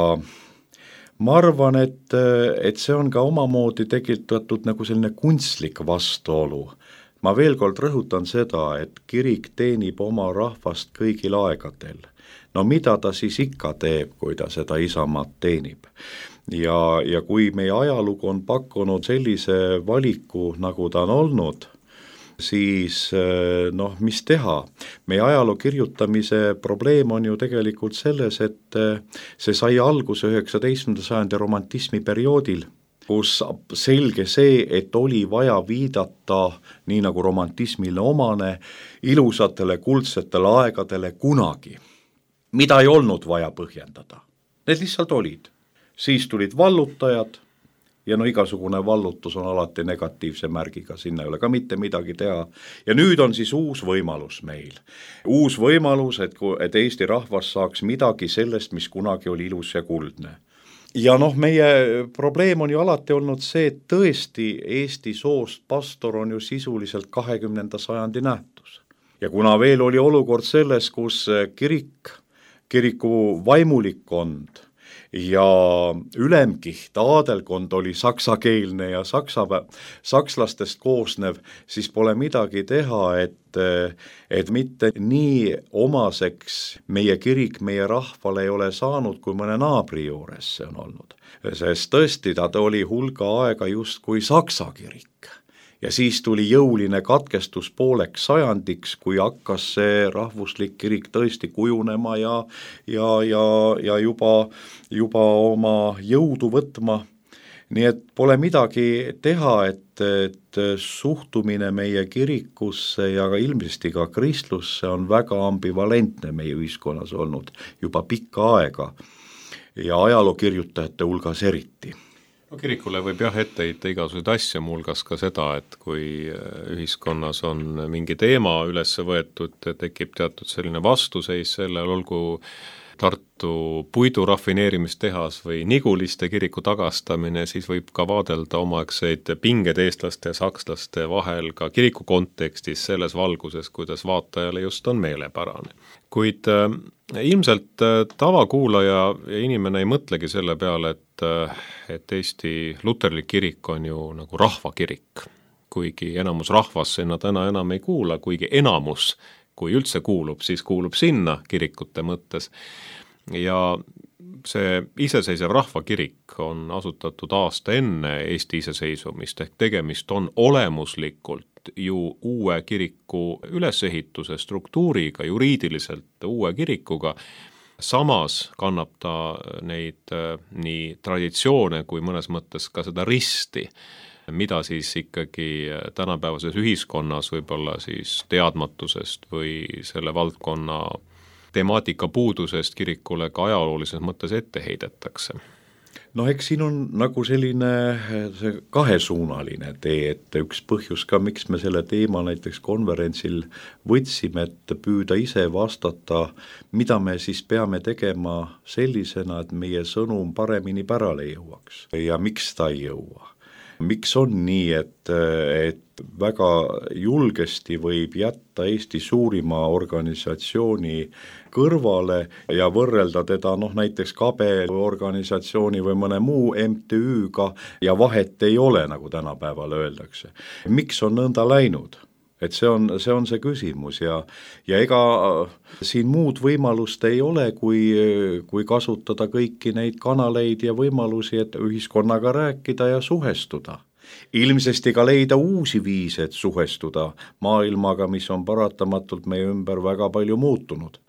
ma arvan, et see on ka omamoodi tekitatud nagu selline kunstlik vastuolu. Ma veel kord rõhutan seda, et kirik teenib oma rahvast kõigil aegadel. No mida ta siis ikka teeb, kui ta seda isamaad teenib? Ja kui meie ajalugu on pakkunud sellise valiku, nagu ta on olnud, siis mis teha? Meie ajaloo kirjutamise probleem on ju tegelikult selles, et see sai alguse 19. sajandi romantismi perioodil, kus selge see, et oli vaja viidata, nii nagu romantismile omane, ilusatele kuldsetele aegadele kunagi, mida ei olnud vaja põhjendada. Need lihtsalt olid. Siis tulid vallutajad, ja igasugune vallutus on alati negatiivse märgiga, sinna ei ole ka mitte midagi teha. Ja nüüd on siis uus võimalus meil. Uus võimalus, et Eesti rahvas saaks midagi sellest, mis kunagi oli ilus ja kuldne. Ja meie probleem on ju alati olnud see, et tõesti Eesti soost pastor on ju sisuliselt 20. sajandi nähtus. Ja kuna veel oli olukord selles, kus kiriku vaimulikkond ja ülemkiht, aadelkond oli saksakeelne ja sakslastest koosnev, siis pole midagi teha, et mitte nii omaseks meie kirik, meie rahvale ei ole saanud, kui mõne naabri juures see on olnud. Sest tõesti, ta oli hulga aega just kui saksa kirik. Ja siis tuli jõuline katkestus pooleks sajandiks, kui hakkas see rahvuslik kirik tõesti kujunema ja juba oma jõudu võtma. Nii et pole midagi teha, et suhtumine meie kirikusse ja ilmsesti ka kristlusse on väga ambivalentne meie ühiskonnas olnud juba pikka aega ja ajalookirjutajate hulgas eriti. No, kirikule võib ette heita igasuguseid asja, muuhulgas ka seda, et kui ühiskonnas on mingi teema üles võetud, tekib teatud selline vastuseis sellel, olgu Tartu puidurafineerimistehas või Niguliste kiriku tagastamine, siis võib ka vaadelda omaaegseid pinged eestlaste ja sakslaste vahel ka kiriku kontekstis selles valguses, kuidas vaatajale just on meelepärane. Kuid ilmselt tavakuulaja ja inimene ei mõtlegi selle peale, et Eesti luterlik kirik on ju nagu rahvakirik, kuigi enamus rahvas sinna täna enam ei kuula, kuigi enamus, kui üldse kuulub, siis kuulub sinna kirikute mõttes. Ja see iseseisev rahvakirik on asutatud aasta enne Eesti iseseisvumist, ehk tegemist on olemuslikult ju uue kiriku ülesehituse struktuuriga, juriidiliselt uue kirikuga. Samas kannab ta neid nii traditsioone kui mõnes mõttes ka seda risti, mida siis ikkagi tänapäevases ühiskonnas võib-olla siis teadmatusest või selle valdkonna temaatika puudusest kirikule ka ajaloolises mõttes ette heidetakse. No eks siin on nagu selline see kahesuunaline tee, et üks põhjus ka, miks me selle teema näiteks konverentsil võtsime, et püüda ise vastata, mida me siis peame tegema sellisena, et meie sõnum paremini pärale jõuaks ja miks ta ei jõua. Miks on nii, et väga julgesti võib jätta Eesti suurima organisatsiooni kõrvale ja võrrelda teda näiteks Kabe organisatsiooni või mõne muu MTÜ-ga ja vahet ei ole, nagu tänapäeval öeldakse. Miks on nõnda läinud? Et see on see küsimus ja ega siin muud võimalust ei ole, kui kasutada kõiki neid kanaleid ja võimalusi, et ühiskonnaga rääkida ja suhestuda. Ilmsesti ka leida uusi viise, et suhestuda maailmaga, mis on paratamatult meie ümber väga palju muutunud.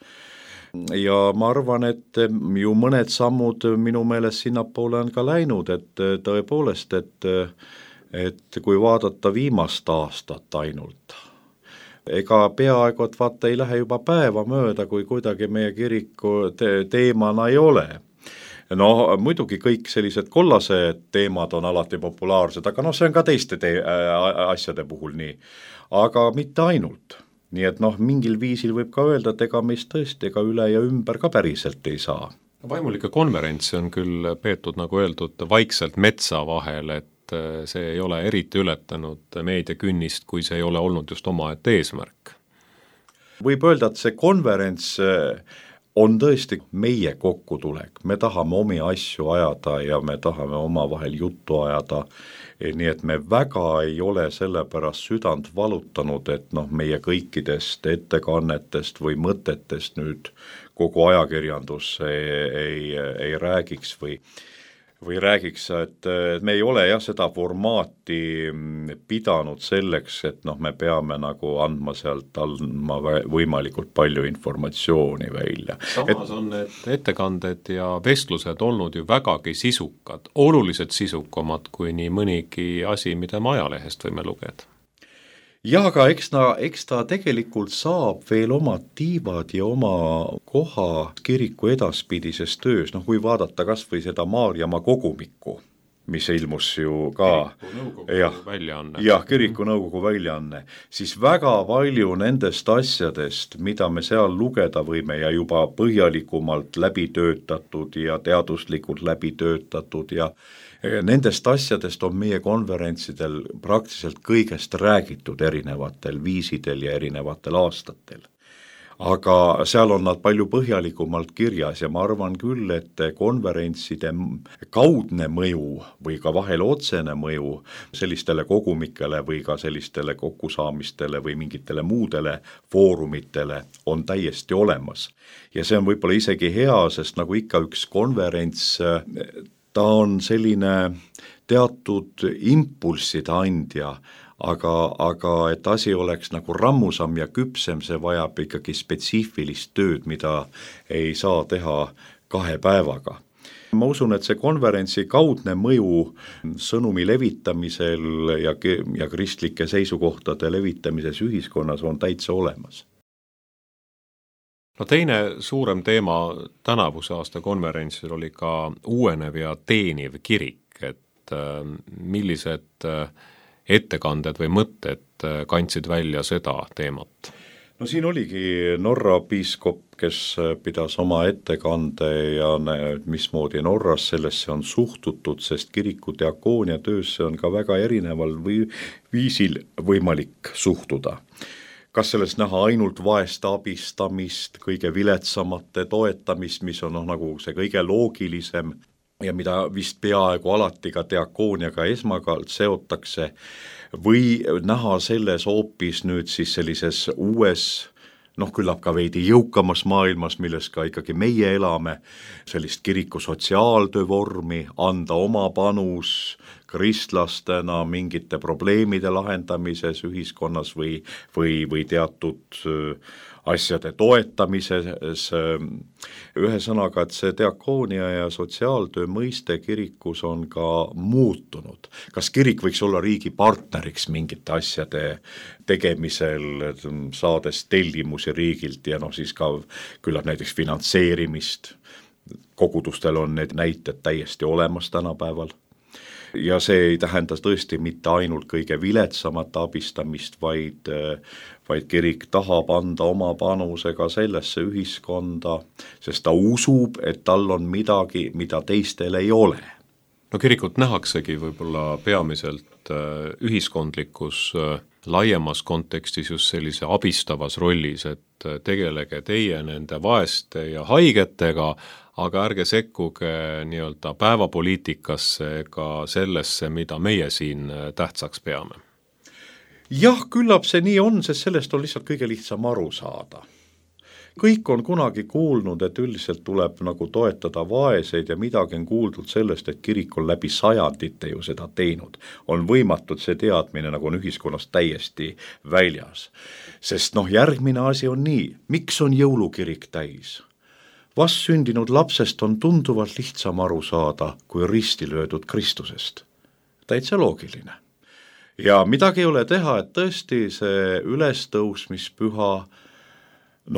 Ja ma arvan, et ju mõned sammud minu meelest sinnapoole on ka läinud, et tõepoolest, et kui vaadata viimast aastat ainult, ega peaaegu, et vaata ei lähe juba päeva mööda, kui kuidagi meie kiriku teemana ei ole. No muidugi kõik sellised kollased teemad on alati populaarsed, aga see on ka teiste asjade puhul nii, aga mitte ainult. Nii et mingil viisil võib ka öelda, et ega meist tõesti ega üle ja ümber ka päriselt ei saa. Vaimulike konverentsi on küll peetud, nagu öeldud, vaikselt metsa vahel, et see ei ole eriti ületanud meediakünnist, kui see ei ole olnud just omaette eesmärk. Võib öelda, et see konverents on tõesti meie kokkutulek, me tahame omi asju ajada ja me tahame omavahel juttu ajada, nii et me väga ei ole selle pärast südant valutanud, et meie kõikidest ettekannetest või mõtetest nüüd kogu ajakirjandus ei räägiks või räägiks, et me ei ole seda formaati pidanud selleks, et me peame nagu andma võimalikult palju informatsiooni välja. Samas on need ettekanded ja vestlused olnud ju vägagi sisukad, oluliselt sisukamad kui nii mõnigi asi, mida me ajalehest võime lugeda. Ja aga eks ta tegelikult saab veel oma tiivad ja oma koha kiriku edaspidises töös, kui vaadata kas või seda Maarjamaa kogumikku, mis ilmus ju ka kiriku nõukogu väljaanne, siis väga palju nendest asjadest, mida me seal lugeda võime ja juba põhjalikumalt läbi töötatud ja teaduslikult läbi töötatud ja nendest asjadest on meie konverentsidel praktiliselt kõigest räägitud erinevatel viisidel ja erinevatel aastatel. Aga seal on nad palju põhjalikumalt kirjas ja ma arvan küll, et konverentside kaudne mõju või ka vahel otsene mõju sellistele kogumikele või ka sellistele kokkusaamistele või mingitele muudele foorumitele on täiesti olemas. Ja see on võib-olla isegi hea, sest nagu ikka üks konverents, ta on selline teatud impulsside andja, aga et asi oleks nagu rammusam ja küpsem, see vajab ikkagi spetsiifilist tööd, mida ei saa teha 2 päevaga. Ma usun, et see konverentsi kaudne mõju sõnumi levitamisel ja kristlike seisukohtade levitamises ühiskonnas on täitsa olemas. No teine suurem teema tänavuse aasta konverentsil oli ka uuenev ja teeniv kirik, et millised ettekanded või mõtted kandsid välja seda teemat? no siin oligi Norra piiskop, kes pidas oma ettekande ja mismoodi Norras sellesse on suhtutud, sest kiriku diakoonia töösse on ka väga erineval viisil võimalik suhtuda. Kas sellest näha ainult vaeste abistamist, kõige viletsamate toetamist, mis on nagu see kõige loogilisem ja mida vist peaaegu alati ka diakooniaga esmakalt seotakse, või näha selles hoopis nüüd siis sellises uues, küllap ka veidi jõukamas maailmas, milles ka ikkagi meie elame, sellist kiriku sotsiaaltöö vormi, anda oma panus kristlastena mingite probleemide lahendamises ühiskonnas või teatud asjade toetamises, ühesõnaga, et see diakoonia ja sotsiaaltöö mõiste kirikus on ka muutunud. Kas kirik võiks olla riigi partneriks mingite asjade tegemisel, saades tellimusi riigilt ja siis ka küllap näiteks finantseerimist, kogudustel on need näited täiesti olemas tänapäeval. Ja see ei tähenda tõesti mitte ainult kõige viletsamat abistamist, vaid kirik tahab anda oma panuse ka sellesse ühiskonda, sest ta usub, et tal on midagi, mida teistel ei ole. No kirikut nähaksegi võib-olla peamiselt ühiskondlikus laiemas kontekstis just sellise abistavas rollis, et tegelege teie nende vaeste ja haigetega, aga ärge sekkuge nii-öelda päevapoliitikasse ega sellesse, mida meie siin tähtsaks peame. Jah, küllap see nii on, sest sellest on lihtsalt kõige lihtsam aru saada. Kõik on kunagi kuulnud, et üldiselt tuleb nagu toetada vaeseid ja midagi on kuuldud sellest, et kirik on läbi sajandite ju seda teinud. On võimatud see teadmine, nagu on ühiskonnas täiesti väljas. Sest järgmine asi on nii, miks on jõulukirik täis? Vast sündinud lapsest on tunduvalt lihtsam aru saada kui risti löödud Kristusest. Täitsa loogiline. Ja midagi ei ole teha, et tõesti see ülestõusmispüha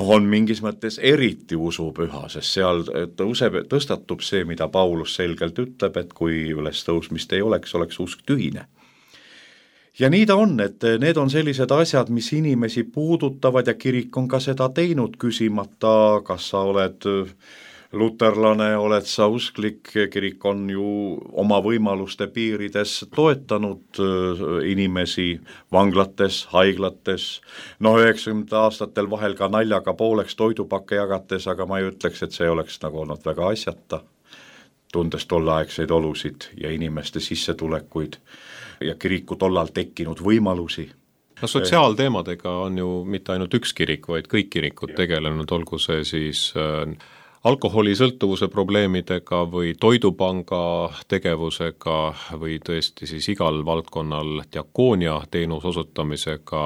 on mingis mõttes eriti usupüha, sest seal tõstatub see, mida Paulus selgelt ütleb, et kui ülestõusmist ei oleks usk tühine. Ja nii ta on, et need on sellised asjad, mis inimesi puudutavad ja kirik on ka seda teinud, küsimata, kas sa oled luterlane, oled sa usklik, kirik on ju oma võimaluste piirides toetanud inimesi vanglates, haiglates, 90 aastatel vahel ka naljaga pooleks toidupakke jagates, aga ma ei ütleks, et see oleks nagu olnud väga asjata, tundes tolleaegseid olusid ja inimeste sissetulekuid ja kiriku tollal tekkinud võimalusi. No sotsiaalteemadega on ju mitte ainult üks kirik, vaid kõik kirikud tegelenud, olgu see siis alkoholisõltuvuse probleemidega või toidupanga tegevusega või tõesti siis igal valdkonnal diakoonia teenus osutamisega,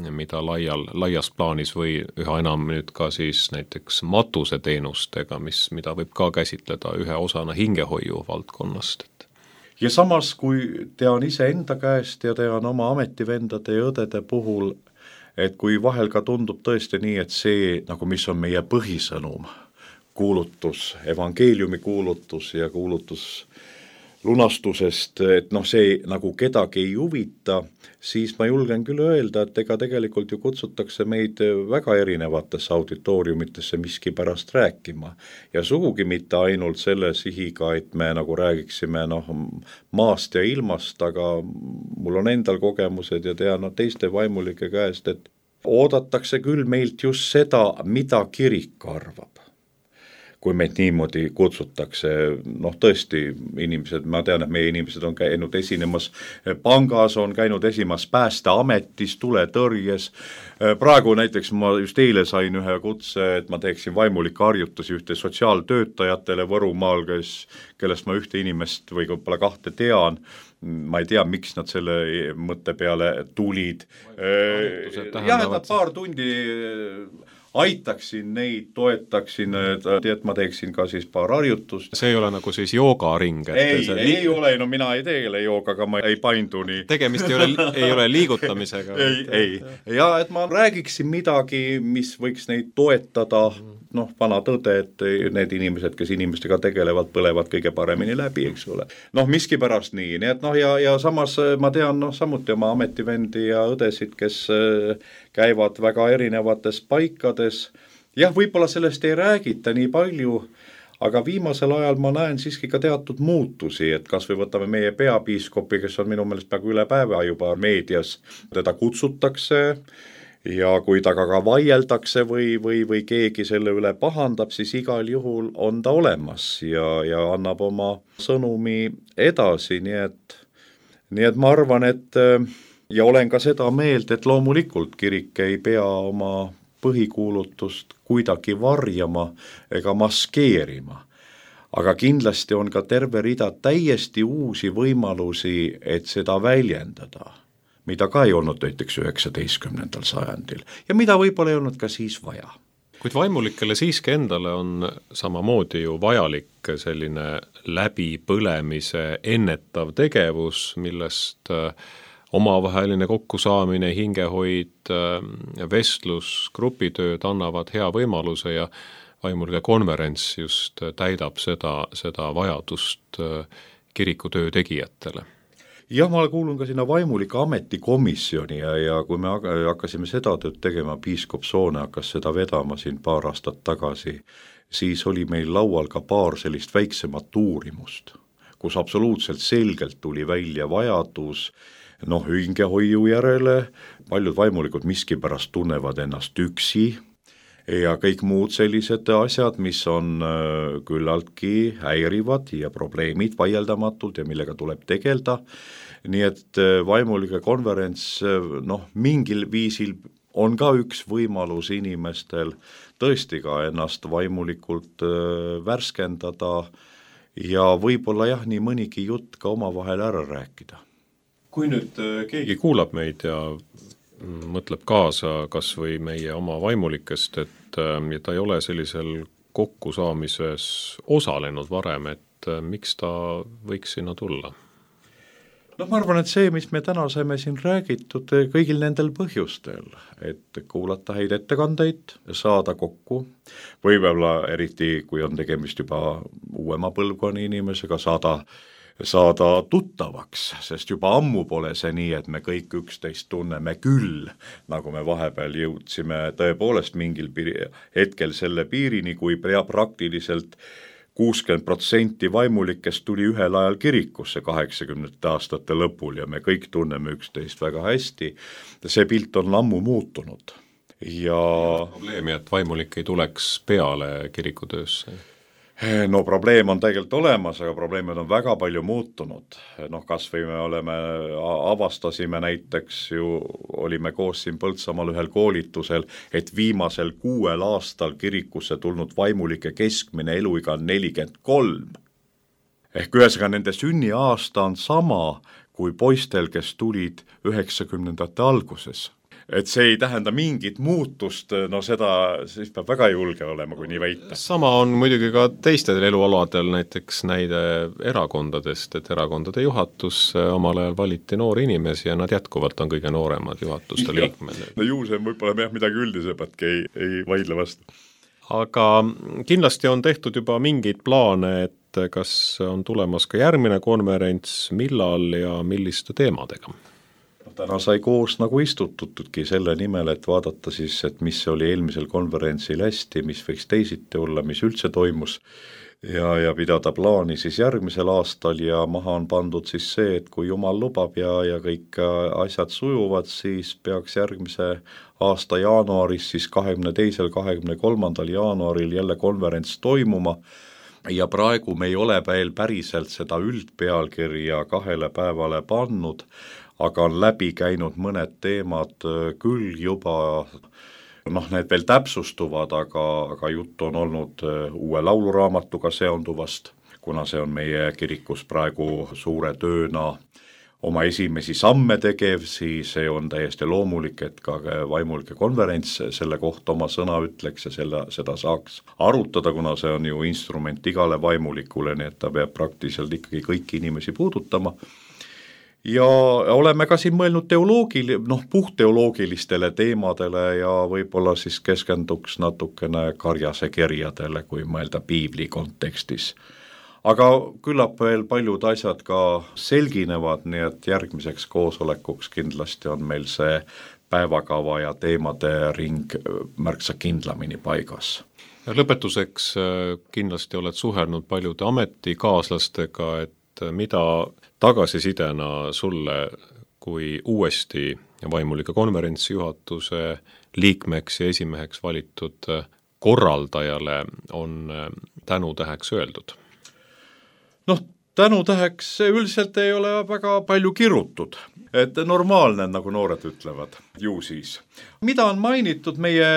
mida laias plaanis või üha enam nüüd ka siis näiteks matuseteenustega, mida võib ka käsitleda ühe osana hingehoiu valdkonnast. Ja samas, kui tean ise enda käest ja tean oma ametivendade ja õdede puhul, et kui vahel ka tundub tõesti nii, et see, nagu mis on meie põhisõnum, kuulutus, evangeeliumi kuulutus ja kuulutus lunastusest, et see nagu kedagi ei huvita, siis ma julgen küll öelda, et ega tegelikult ju kutsutakse meid väga erinevatesse auditooriumitesse miski pärast rääkima ja sugugi mitte ainult selle sihiga, et me nagu räägiksime maast ja ilmast, aga mul on endal kogemused ja tean teiste vaimulike käest, et oodatakse küll meilt just seda, mida kirik arvab. Kui meid niimoodi kutsutakse, tõesti inimesed, ma tean, et meie inimesed on käinud esinemas pangas, on käinud esinemas päästeametis, tuletõrjes. Praegu näiteks ma just eile sain ühe kutse, et ma teeksin vaimulikke harjutusi ühte sotsiaaltöötajatele Võrumaal, kellest ma ühte inimest või võib-olla kahte tean. Ma ei tea, miks nad selle mõtte peale tulid. Jah, et nad paar tundi aitaksin neid, toetaksin, et ma teeksin ka siis paar harjutust. See ei ole nagu siis joogaring? Ei ole, no mina ei tegele joogaga, ma ei paindu nii. Tegemist ei ole liigutamisega? Ei. Ja et ma räägiksin midagi, mis võiks neid toetada, vana tõde, et need inimesed, kes inimestega tegelevad, põlevad kõige paremini läbi, eks ole. Miskipärast nii et ja samas ma tean samuti oma ametivendi ja õdesid, kes käivad väga erinevates paikades. Jah, võib-olla sellest ei räägita nii palju, aga viimasel ajal ma näen siiski ka teatud muutusi, et kas või võtame meie peapiiskopi, kes on minu meelest peaaegu üle päeva juba meedias, teda kutsutakse ja kui taga ka vaieldakse või keegi selle üle pahandab, siis igal juhul on ta olemas ja annab oma sõnumi edasi, nii et ma arvan, et ja olen ka seda meelt, et loomulikult kirik ei pea oma põhikuulutust kuidagi varjama ega maskeerima. Aga kindlasti on ka terve rida täiesti uusi võimalusi, et seda väljendada, mida ka ei olnud näiteks 19. sajandil ja mida võib-olla ei olnud ka siis vaja. Kuid vaimulikele siiski endale on samamoodi ju vajalik selline läbipõlemise ennetav tegevus, millest omavaheline kokkusaamine, hingehoid, vestlus, grupitööd annavad hea võimaluse ja vaimulike konverents just täidab seda vajadust kirikutöö tegijatele. Jah, ma kuulun ka sinna vaimulike ametikomisjoni ja kui me hakkasime seda tööd tegema, piiskop Soone hakkas seda vedama siin paar aastat tagasi, siis oli meil laual ka paar sellist väiksemat uurimust, kus absoluutselt selgelt tuli välja vajadus hingehoiu järele, paljud vaimulikud miskipärast tunnevad ennast üksi ja kõik muud sellised asjad, mis on küllaltki häirivad ja probleemid vaieldamatult ja millega tuleb tegelda. Nii et vaimulike konverents mingil viisil on ka üks võimalus inimestel tõesti ka ennast vaimulikult värskendada ja võib-olla jah, nii mõnigi jutt ka omavahel ära rääkida. Kui nüüd keegi kuulab meid ja mõtleb kaasa kas või meie oma vaimulikest, et ta ei ole sellisel kokkusaamises osalenud varem, et miks ta võiks sinna tulla? Ma arvan, et see, mis me täna saime siin räägitud kõigil nendel põhjustel, et kuulata häid ettekandeid, saada kokku, võib-olla eriti, kui on tegemist juba uuema põlvkonna inimesega, saada tuttavaks, sest juba ammu pole see nii, et me kõik üksteist tunneme küll, nagu me vahepeal jõudsime tõepoolest mingil hetkel selle piirini, kui praktiliselt 60% vaimulikest tuli ühel ajal kirikusse 80. aastate lõpul ja me kõik tunneme üksteist väga hästi. See pilt on ammu muutunud. Ja probleemi, et vaimulik ei tuleks peale kirikutöösse? Probleem on tegelikult olemas, aga probleemid on väga palju muutunud. Kas või me avastasime näiteks ju, olime koos siin Põltsamaal ühel koolitusel, et viimasel 6 aastal kirikusse tulnud vaimulike keskmine eluiga on 43. Ehk ühesõnaga nende sünniaasta on sama kui poistel, kes tulid 90. alguses. Et see ei tähenda mingit muutust, seda siis peab väga julge olema, kui nii väita. Sama on muidugi ka teistel elualadel, näiteks näide erakondadest, et erakondade juhatus omal ajal valiti noori inimesi ja nad jätkuvalt on kõige nooremad juhatuste liikmed. Ju see võib-olla midagi üldisematki ei vaidle vastu. Aga kindlasti on tehtud juba mingeid plaane, et kas on tulemas ka järgmine konverents, millal ja milliste teemadega? Täna sai koos nagu istututudki selle nimel, et vaadata siis, et mis oli eelmisel konverentsil hästi, mis võiks teisiti olla, mis üldse toimus ja pidada plaani siis järgmisel aastal ja maha on pandud siis see, et kui Jumal lubab ja kõik asjad sujuvad, siis peaks järgmise aasta jaanuaris, siis 22. 23. jaanuaril jälle konverents toimuma ja praegu me ei ole veel päriselt seda üldpealkirja 2 päevale pannud, aga on läbi käinud mõned teemad küll juba, need veel täpsustuvad, aga jutt on olnud uue lauluraamatuga seonduvast, kuna see on meie kirikus praegu suure tööna, oma esimesi samme tegev, siis see on täiesti loomulik, et ka vaimulike konverents selle kohta oma sõna ütleks ja seda saaks arutada, kuna see on ju instrument igale vaimulikule, nii et ta peab praktiliselt ikkagi kõiki inimesi puudutama. Ja oleme ka siin mõelnud puhtteoloogilistele teemadele ja võib-olla siis keskenduks natukene Karjase kirjadele, kui mõelda piibli kontekstis. Aga küllap veel paljud asjad ka selginevad, nii et järgmiseks koosolekuks kindlasti on meil see päevakava ja teemade ring märksa kindlamini paigas. Ja lõpetuseks kindlasti oled suhelnud paljude ametikaaslastega, et mida tagasisidena sulle kui uuesti vaimulike konverentsi juhatuse liikmeks ja esimeheks valitud korraldajale on tänutäheks öeldud? Tänutäheks üldiselt ei ole väga palju kirutud, et normaalne, nagu noored ütlevad, ju siis. Mida on mainitud meie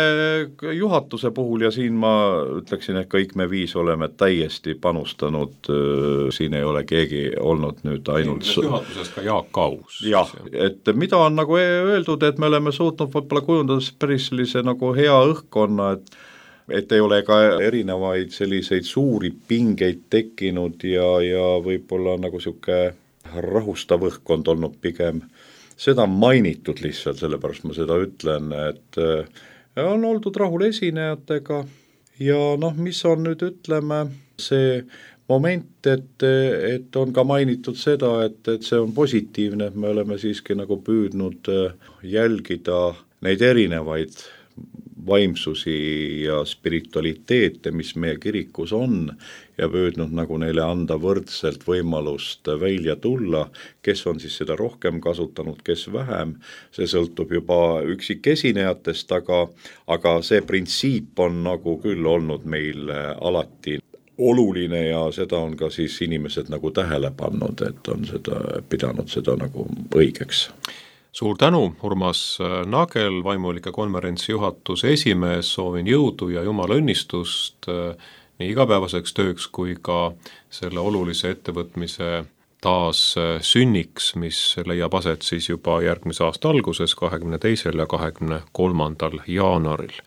juhatuse puhul ja siin ma ütleksin, et kõik me 5 oleme täiesti panustanud, siin ei ole keegi olnud nüüd ainult... Juhatuses ka Jaak Kaus. Jah, et mida on nagu öeldud, et me oleme suutnud võib-olla kujundada päris sellise nagu hea õhkkonna, et ei ole ka erinevaid selliseid suuri pingeid tekkinud ja võib-olla nagu siuke rahustav õhkkond olnud pigem. Seda on mainitud lihtsalt, sellepärast ma seda ütlen, et on oldud rahul esinejatega ja mis on nüüd ütleme see moment, et on ka mainitud seda, et see on positiivne, et me oleme siiski nagu püüdnud jälgida neid erinevaid vaimsusi ja spiritualiteete, mis meie kirikus on ja püüdnud nagu neile anda võrdselt võimalust välja tulla, kes on siis seda rohkem kasutanud, kes vähem, see sõltub juba üksikesinejatest, aga see printsiip on nagu küll olnud meil alati oluline ja seda on ka siis inimesed nagu tähele pannud, et on pidanud seda nagu õigeks. Suur tänu, Urmas Nagel, vaimulike konverentsi juhatuse esimees, soovin jõudu ja jumala õnnistust nii igapäevaseks tööks kui ka selle olulise ettevõtmise taas sünniks, mis leiab aset siis juba järgmise aasta alguses, 22. ja 23. jaanuaril.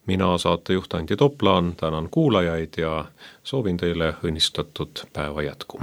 Mina saatejuht Andi Toplaan, tänan kuulajaid ja soovin teile õnnistatud päeva jätku.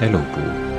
Elupuu.